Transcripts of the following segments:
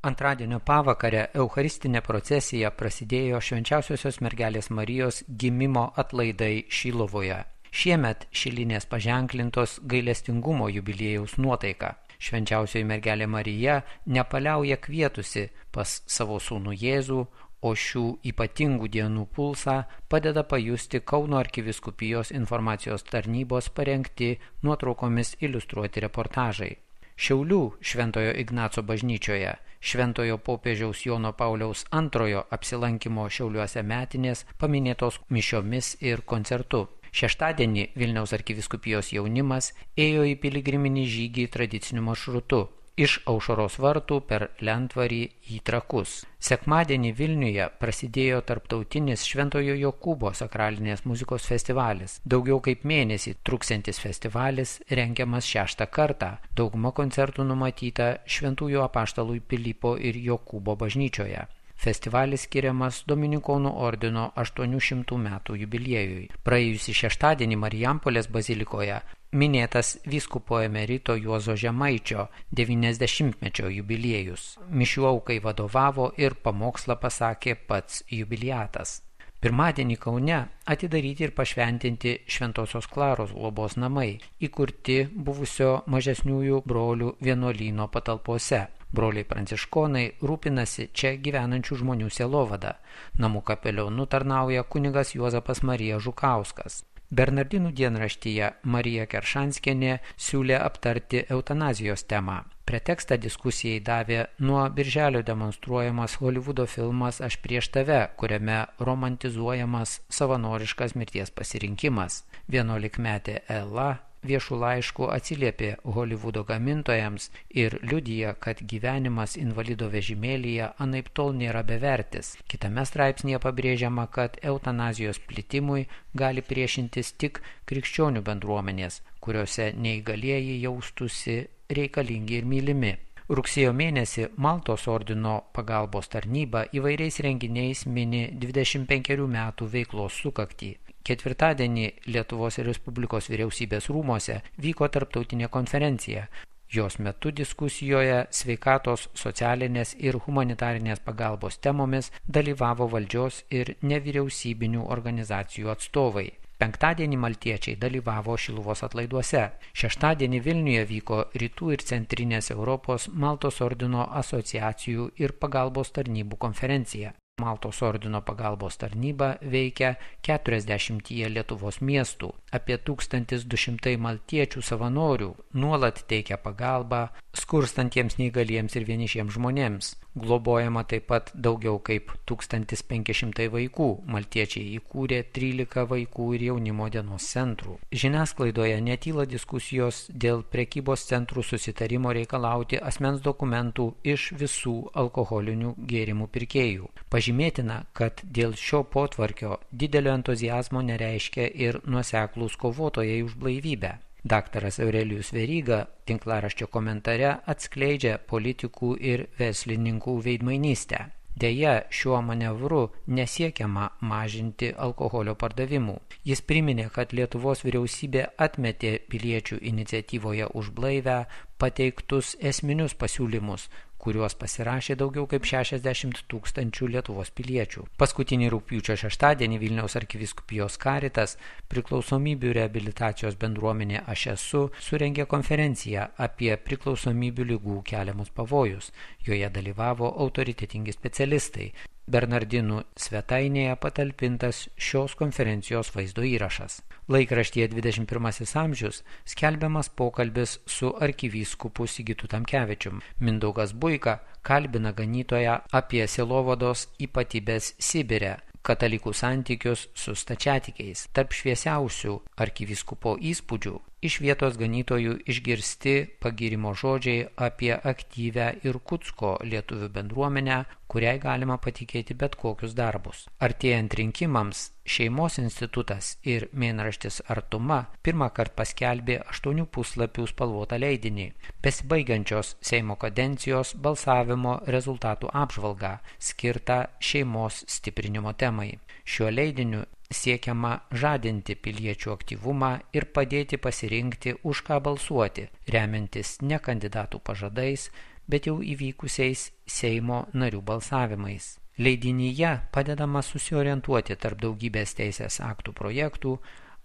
Antradienio pavakarę eucharistinė procesija prasidėjo Švenčiausiosios mergelės Marijos gimimo atlaidai Šilovoje. Šiemet šilinės paženklintos gailestingumo jubiliejaus nuotaika. Švenčiausioji mergelė Marija nepaliauja kvietusi pas savo sūnų Jėzų, o šių ypatingų dienų pulsą padeda pajusti Kauno arkivyskupijos informacijos tarnybos parengti nuotraukomis iliustruoti reportažai. Šiaulių Šventojo Ignaco bažnyčioje Šventojo popiežiaus Jono Pauliaus II apsilankimo Šiauliuose metinės paminėtos mišiomis ir koncertu. Šeštadienį Vilniaus arkivyskupijos jaunimas ėjo į piligriminį žygį tradiciniu maršrutu iš Aušros vartų per Lentvarį į Trakus. Sekmadienį Vilniuje prasidėjo tarptautinis Šventojo Jokūbo sakralinės muzikos festivalis. Daugiau kaip mėnesį truksiantis festivalis rengiamas 6. kartą. Dauguma koncertų numatyta Šventųjų apaštalų Pilypo ir Jokūbo bažnyčioje. Festivalis skiriamas Dominikonų ordino 800 metų jubiliejui. Praėjusį šeštadienį Marijampolės bazilikoje minėtas vyskupo emerito Juozo Žemaičio 90-mečio jubiliejus. Mišių aukai vadovavo ir pamokslą pasakė pats jubiliatas. Pirmadienį Kaune atidaryti ir pašventinti Šventosios Klaros globos namai, įkurti buvusio mažesniųjų brolių vienuolyno patalpose. Broliai pranciškonai rūpinasi čia gyvenančių žmonių sielovada. Namų kapelionu tarnauja kunigas Juozapas Marija Žukauskas. Bernardinų dienraštyje Marija Keršanskienė siūlė aptarti eutanazijos temą. Pretekstą diskusijai davė nuo birželio demonstruojamas Holivudo filmas Aš prieš tave, kuriame romantizuojamas savanoriškas mirties pasirinkimas. 11-metė Ela viešų laiškų atsiliepė Holivudo gamintojams ir liudija, kad gyvenimas invalido vežimėlyje anaiptol nėra bevertis. Kitame straipsnėje pabrėžiama, kad eutanazijos plitimui gali priešintis tik krikščionių bendruomenės, kuriuose neįgalieji jaustųsi reikalingi ir mylimi. Rugsėjo mėnesį Maltos ordino pagalbos tarnyba įvairiais renginiais mini 25 metų veiklos sukaktį. Ketvirtadienį Lietuvos Respublikos vyriausybės rūmose vyko tarptautinė konferencija. Jos metu diskusijoje sveikatos, socialinės ir humanitarinės pagalbos temomis dalyvavo valdžios ir nevyriausybinių organizacijų atstovai. Penktadienį maltiečiai dalyvavo Šiluvos atlaiduose. Šeštadienį Vilniuje vyko Rytų ir Centrinės Europos Maltos ordino asociacijų ir pagalbos tarnybų konferencija. Maltos ordino pagalbos tarnyba veikia 40 Lietuvos miestų. Apie 1200 maltiečių savanorių nuolat teikia pagalbą skurstantiems neįgaliems ir vienišiems žmonėms. Globojama taip pat daugiau kaip 1500 vaikų. Maltiečiai įkūrė 13 vaikų ir jaunimo dienos centrų. Žiniasklaidoje netyla diskusijos dėl prekybos centrų susitarimo reikalauti asmens dokumentų iš visų alkoholinių gėrimų pirkėjų. Pažymėtina, kad dėl šio potvarkio didelio entuziazmo nereiškia ir nuoseklūs kovotojai už blaivybę. Daktaras Aurelijus Veryga tinklaraščio komentare atskleidžia politikų ir verslininkų veidmainystę. Deja, šiuo manevru nesiekiama mažinti alkoholio pardavimų. Jis priminė, kad Lietuvos vyriausybė atmetė piliečių iniciatyvoje už blaivę pateiktus esminius pasiūlymus, kuriuos pasirašė daugiau kaip 60 000 Lietuvos piliečių. Paskutinį rugpjūčio šeštadienį Vilniaus arkivyskupijos Karitas priklausomybių reabilitacijos bendruomenė Aš esu surengė konferenciją apie priklausomybių ligų keliamus pavojus. Joje dalyvavo autoritetingi specialistai. Bernardinų svetainėje patalpintas šios konferencijos vaizdo įrašas. Laikraštyje 21 amžius skelbiamas pokalbis su arkivyskupu Sigitu Tamkevičium. Mindaugas Buika kalbina ganytoją apie sielovados ypatybės Sibire, katalikų santykius su stačiatikiais. Tarp šviesiausių arkivyskupo įspūdžių iš vietos ganytojų išgirsti pagyrimo žodžiai apie aktyvę Irkutsko lietuvių bendruomenę, kuriai galima patikėti bet kokius darbus. Artėjant rinkimams, Šeimos institutas ir mėnraštis Artuma pirmą kartą paskelbė 8 puslapių spalvotą leidinį, besibaigiančios Seimo kadencijos balsavimo rezultatų apžvalgą, skirtą šeimos stiprinimo temai. Šiuo leidiniu siekiama žadinti piliečių aktyvumą ir padėti pasirinkti, už ką balsuoti, remiantis ne kandidatų pažadais, bet jau įvykusiais Seimo narių balsavimais. Leidinyje padedama susiorientuoti tarp daugybės teisės aktų projektų,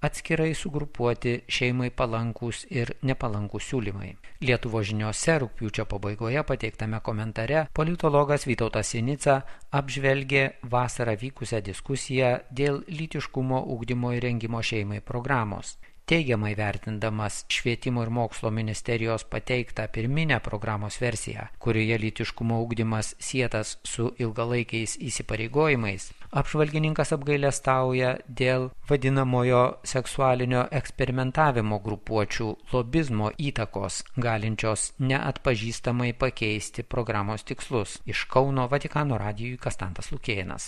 atskirai sugrupuoti šeimai palankūs ir nepalankūs siūlymai. Lietuvos žiniose rugpjūčio pabaigoje pateiktame komentare politologas Vytautas Sinica apžvelgė vasarą vykusią diskusiją dėl lytiškumo ugdymo ir rengimo šeimai programos. Teigiamai vertindamas Švietimo ir mokslo ministerijos pateiktą pirminę programos versiją, kurioje lytiškumo ugdymas sietas su ilgalaikiais įsipareigojimais, apžvalgininkas apgailestauja dėl vadinamojo seksualinio eksperimentavimo grupuočių lobizmo įtakos, galinčios neatpažįstamai pakeisti programos tikslus. Iš Kauno Vatikano radijui Kastantas Lukėnas.